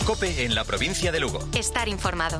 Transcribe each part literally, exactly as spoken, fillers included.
COPE en la provincia de Lugo. Estar informado.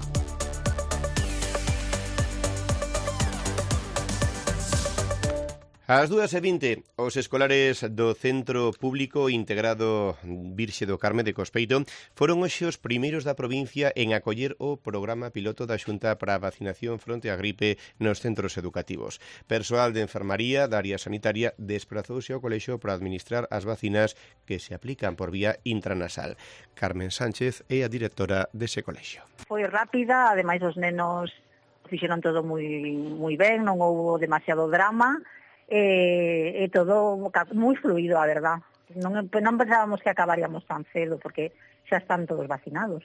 Ás dúas e vinte, os escolares do Centro Público Integrado Virxe do Carme de Cospeito foron hoxe os primeiros da provincia en acoller o programa piloto da Xunta para a vacinación fronte á gripe nos centros educativos. Persoal de enfermaría da área sanitaria desprazouse ao colexio para administrar as vacinas que se aplican por vía intranasal. Carmen Sánchez é a directora dese colexio. Foi rápida, ademais os nenos fixeron todo moi moi ben, non houbo demasiado drama. E, e todo moi fluido, a verdad. Non, non pensábamos que acabaríamos tan cedo, porque xa están todos vacinados.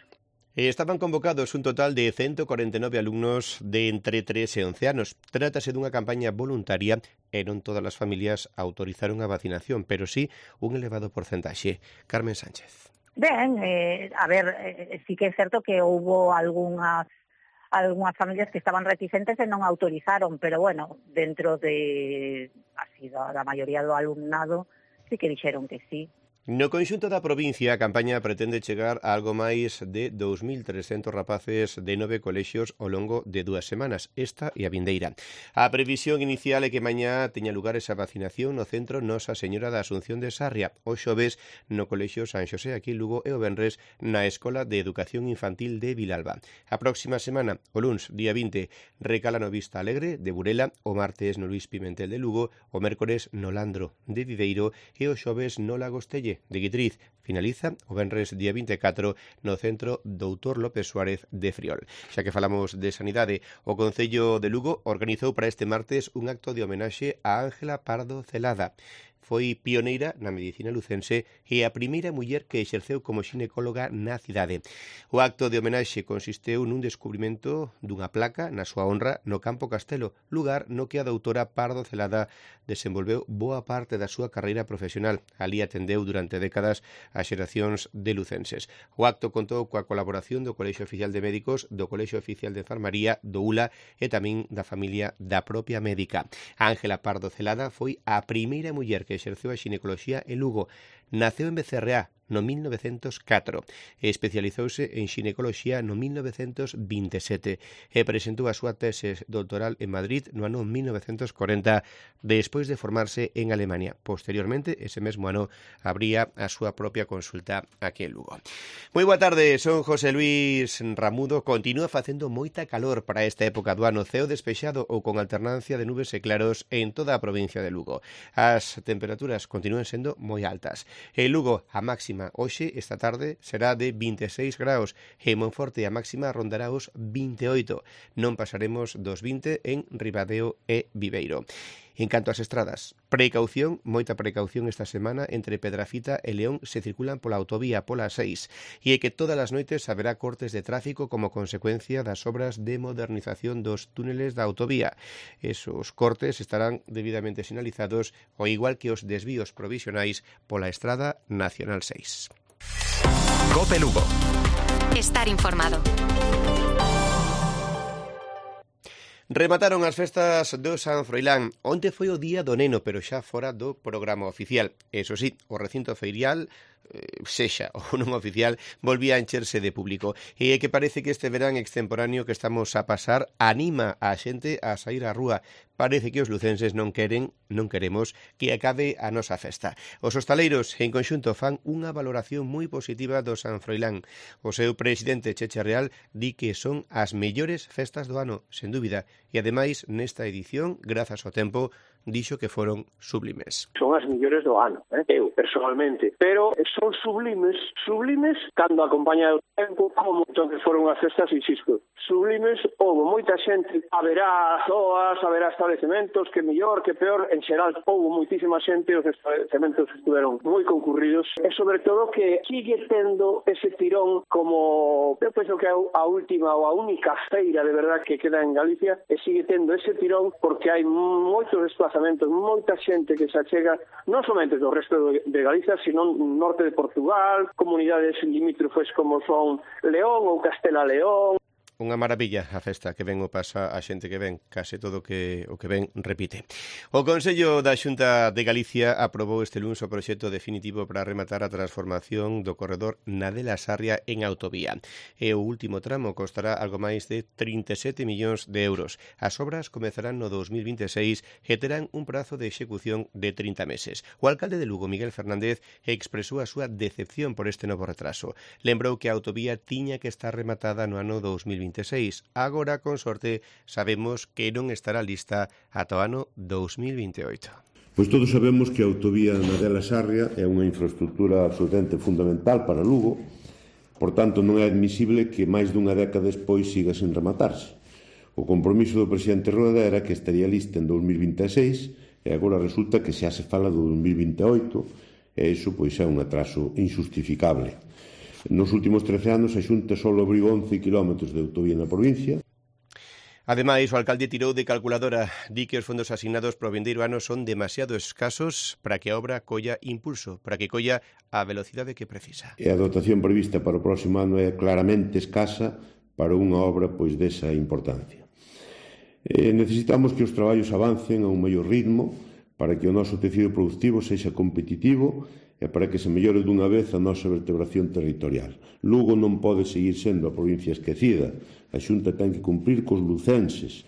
Estaban convocados un total de ciento cuarenta y nueve alumnos de entre tres e once anos. Trátase dunha campaña voluntaria e non todas as familias autorizaron a vacinación, pero sí un elevado porcentaxe. Carmen Sánchez. Ben, eh, a ver, eh, sí que é certo que houbo algunhas algunhas familias que estaban reticentes e non autorizaron, pero bueno, dentro de así da, da maioría do alumnado sí que dixeron que sí. No conxunto da provincia, a campaña pretende chegar a algo máis de dous mil trescentos rapaces de nove colexios ao longo de dúas semanas, esta e a vindeira. A previsión inicial é que mañá teña lugar esa vacinación no centro Nosa Señora da Asunción de Sarria, o xoves no colexio San Xosé aquí en Lugo e o venres na Escola de Educación Infantil de Vilalba. A próxima semana, o luns, día vinte, recala no Vista Alegre de Burela, o martes no Luís Pimentel de Lugo, o mércores no Landro de Viveiro e o xoves no Lagostelle de Guitriz. Finaliza o venres día vinte e catro no centro Doutor López Suárez de Friol. Xa que falamos de sanidade, o Concello de Lugo organizou para este martes un acto de homenaxe a Ángela Pardo Celada. Foi pioneira na medicina lucense e a primeira muller que exerceu como xinecóloga na cidade. O acto de homenaxe consisteu nun descubrimento dunha placa na súa honra no Campo Castelo, lugar no que a doutora Pardo Celada desenvolveu boa parte da súa carreira profesional. Ali atendeu durante décadas as xeracións de lucenses. O acto contou coa colaboración do Colexio Oficial de Médicos, do Colexio Oficial de Enfermaría, do U L A e tamén da familia da propia médica. Ángela Pardo Celada foi a primeira muller que exerceu a xinecoloxía en Lugo. Naceu en Becerreá no mil novecentos catro e especializouse en xinecoloxía no mil novecentos vinte e sete e presentou a súa tese doutoral en Madrid no ano mil novecentos corenta despois de formarse en Alemania. Posteriormente, ese mesmo ano, abría a súa propia consulta aquí en Lugo. Moi boa tarde, son José Luis Ramudo. Continúa facendo moita calor para esta época do ano, ceo despexado ou con alternancia de nubes e claros en toda a provincia de Lugo. As temperaturas continúan sendo moi altas. En Lugo, a máxima hoxe, esta tarde, será de vinte e seis graus e en Monforte a máxima rondará os vinte e oito. Non pasaremos dos vinte en Ribadeo e Viveiro. En canto ás estradas, precaución, moita precaución esta semana entre Pedrafita e León se circulan pola autovía pola seis e é que todas as noites haberá cortes de tráfico como consecuencia das obras de modernización dos túneles da autovía. Esos cortes estarán debidamente sinalizados, ao igual que os desvíos provisionais pola Estrada Nacional seis. COPE Lugo. Estar informado. Remataron as festas do San Froilán. Onte foi o día do neno, pero xa fora do programa oficial. Eso sí, o recinto feirial, eh, sexa ou non oficial, volvía a encherse de público. E é que parece que este verán extemporáneo que estamos a pasar anima a xente a sair á rúa. Parece que os lucenses non queren, non queremos, que acabe a nosa festa. Os hostaleiros, en conxunto, fan unha valoración moi positiva do San Froilán. O seu presidente, Cheche Real, di que son as mellores festas do ano, sen dúbida. E, ademais, nesta edición, grazas ao tempo, dixo que foron sublimes. Son as mellores do ano, eh? eu, personalmente. Pero son sublimes, sublimes, cando acompaña o tempo, como moito que foron as festas, insisto. Sublimes, houve moita xente, haberá zoas, haberá establecementos, que mellor, que peor, en xeral, houve moitísima xente, os establecementos estiveron moi concurridos, e sobre todo que sigue tendo ese tirón como, eu penso que é a última ou a única feira de verdad que queda en Galicia, e sigue tendo ese tirón porque hai moitos desplazamentos, moita xente que se achega non somente do resto de Galicia, sino norte de Portugal, comunidades limítrofes como son León ou Castela León. unha maravilla a festa que ven o pasa a xente que ven, case todo que o que ven repite. O Consello da Xunta de Galicia aprobou este luns o proxecto definitivo para rematar a transformación do corredor Nadela-Sarria en autovía. E o último tramo costará algo máis de trinta e sete millóns de euros. As obras comezarán no dos mil vinte e seis e terán un prazo de execución de trinta meses. O alcalde de Lugo, Miguel Fernández, expresou a súa decepción por este novo retraso. Lembrou que a autovía tiña que estar rematada no ano dos mil vinte e seis. Agora, con sorte, sabemos que non estará lista ata o ano dos mil vinte e oito. Pois todos sabemos que a autovía Nadela-Sarria é unha infraestructura absolutamente fundamental para Lugo, por tanto non é admisible que máis dunha década despois siga sen rematarse. O compromiso do presidente Rueda era que estaría lista en dos mil vinte e seis e agora resulta que xa se fala do dos mil vinte e oito e iso pois é un atraso injustificable. Nos últimos trece anos a Xunta só abriu once quilómetros de autovía na provincia. Ademais, o alcalde tirou de calculadora, di que os fondos asignados para o vindeiro ano son demasiado escasos para que a obra colla impulso, para que colla a velocidade que precisa. E a dotación prevista para o próximo ano é claramente escasa para unha obra pois desa importancia. E necesitamos que os traballos avancen a un maior ritmo para que o noso tecido productivo sexa competitivo e para que se mellore dunha vez a nosa vertebración territorial. Lugo non pode seguir sendo a provincia esquecida. A Xunta ten que cumprir cos lucenses.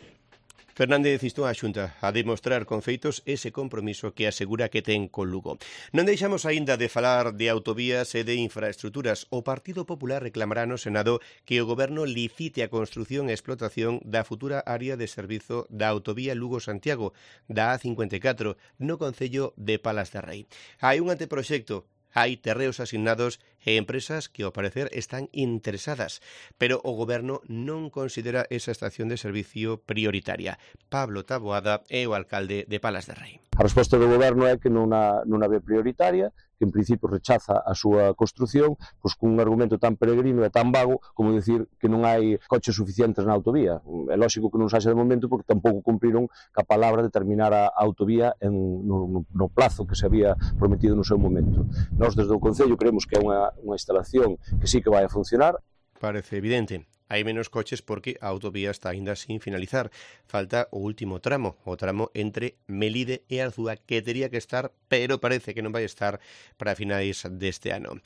Fernández instou a Xunta a demostrar con feitos ese compromiso que asegura que ten con Lugo. Non deixamos aínda de falar de autovías e de infraestructuras. O Partido Popular reclamará no Senado que o Goberno licite a construción e explotación da futura área de servizo da autovía Lugo-Santiago, da A cincuenta e catro, no concello de Palas de Rei. Hai un anteproxecto. Hai terreos asignados e empresas que, ao parecer, están interesadas, pero o Goberno non considera esa estación de servicio prioritaria. Pablo Taboada é o alcalde de Palas de Rei. A resposta do Goberno é que non a, non a ve prioritaria, que en principio rechaza a súa construción, pois con un argumento tan peregrino e tan vago como decir que non hai coches suficientes na autovía. É lógico que non se haxe de momento porque tampouco cumpriron ca palabra de terminar a autovía en, no, no plazo que se había prometido no seu momento. Nós desde o Concello creemos que é unha, unha instalación que sí que vai a funcionar. Parece evidente. Hai menos coches porque a autovía está aínda sin finalizar. Falta o último tramo, o tramo entre Melide e Arzúa, que tería que estar, pero parece que non vai estar para finais deste ano.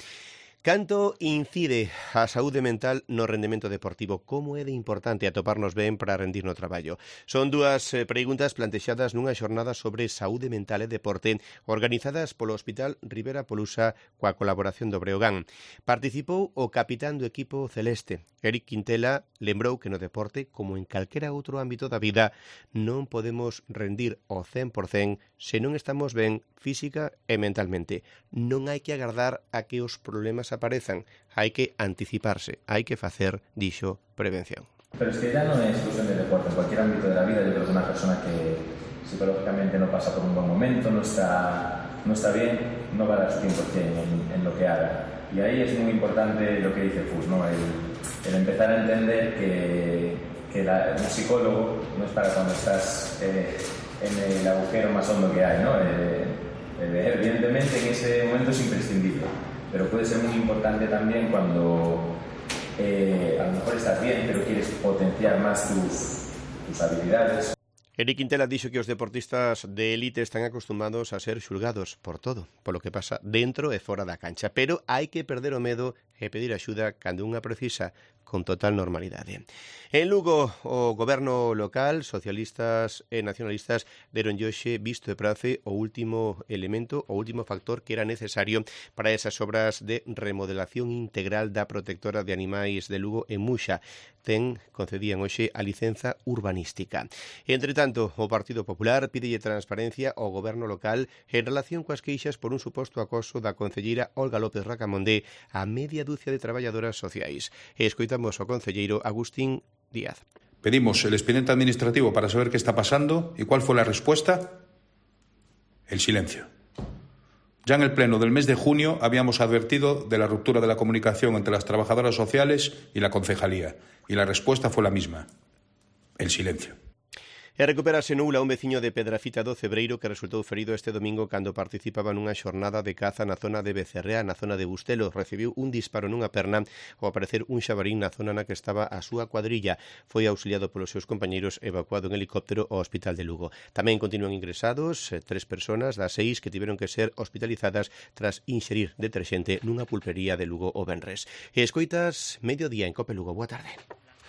Canto incide a saúde mental no rendemento deportivo? Como é de importante atoparnos ben para rendir no traballo? Son dúas preguntas plantexadas nunha xornada sobre saúde mental e deporte organizadas polo Hospital Rivera Polusa coa colaboración do Breogán. Participou o capitán do equipo celeste. Eric Quintela lembrou que no deporte, como en calquera outro ámbito da vida, non podemos rendir ao cen por cen se non estamos ben física e mentalmente. Non hai que agardar a que os problemas aparezan, hai que anticiparse, hai que facer, dixo, prevención. Pero es que ya no es cuestión de deporte, en cualquier ámbito de la vida. Yo creo que una persona que psicológicamente no pasa por un buen momento, no está, no está bien, no va a dar su cien por cien en, en lo que haga. Y ahí es muy importante lo que dice Fus, ¿no? el, el empezar a entender que, que la, un psicólogo no es para cuando estás eh, en el agujero más hondo que hay, ¿no? Eh, eh, evidentemente en ese momento es imprescindible, pero puede ser muy importante también cuando eh, a lo mejor estás bien, pero quieres potenciar más tus, tus habilidades. Eric Quintela dixo que os deportistas de élite están acostumados a ser xulgados por todo, polo que pasa dentro e fora da cancha, pero hai que perder o medo e pedir axuda cando unha precisa, con total normalidade. En Lugo, o goberno local, socialistas e nacionalistas deron hoxe visto e prace o último elemento, o último factor que era necesario para esas obras de remodelación integral da protectora de animais de Lugo en Muxa. Ten, concedían hoxe a licenza urbanística. Entre tanto, o Partido Popular pídelle transparencia ao goberno local en relación coas queixas por un suposto acoso da concelleira Olga López Racamondé a media dúcia de traballadoras sociais. E escoitamos ao concelleiro Agustín Díaz. Pedimos el expediente administrativo para saber qué está pasando y cuál fue la respuesta. El silencio. Ya en el pleno del mes de junio habíamos advertido de la ruptura de la comunicación entre las trabajadoras sociales y la concejalía, y la respuesta fue la misma. El silencio. E recuperase no Ula un veciño de Pedrafita do Cebreiro que resultou ferido este domingo cando participaba nunha xornada de caza na zona de Becerrea, na zona de Bustelo. Recibiu un disparo nunha perna ao aparecer un xabarín na zona na que estaba a súa cuadrilla. Foi auxiliado polos seus compañeiros e evacuado en helicóptero ao Hospital de Lugo. Tamén continúan ingresados eh, tres persoas das seis que tiveron que ser hospitalizadas tras inxerir deterxente nunha pulpería de Lugo o venres. E escoitas Mediodía en Cope Lugo. Boa tarde.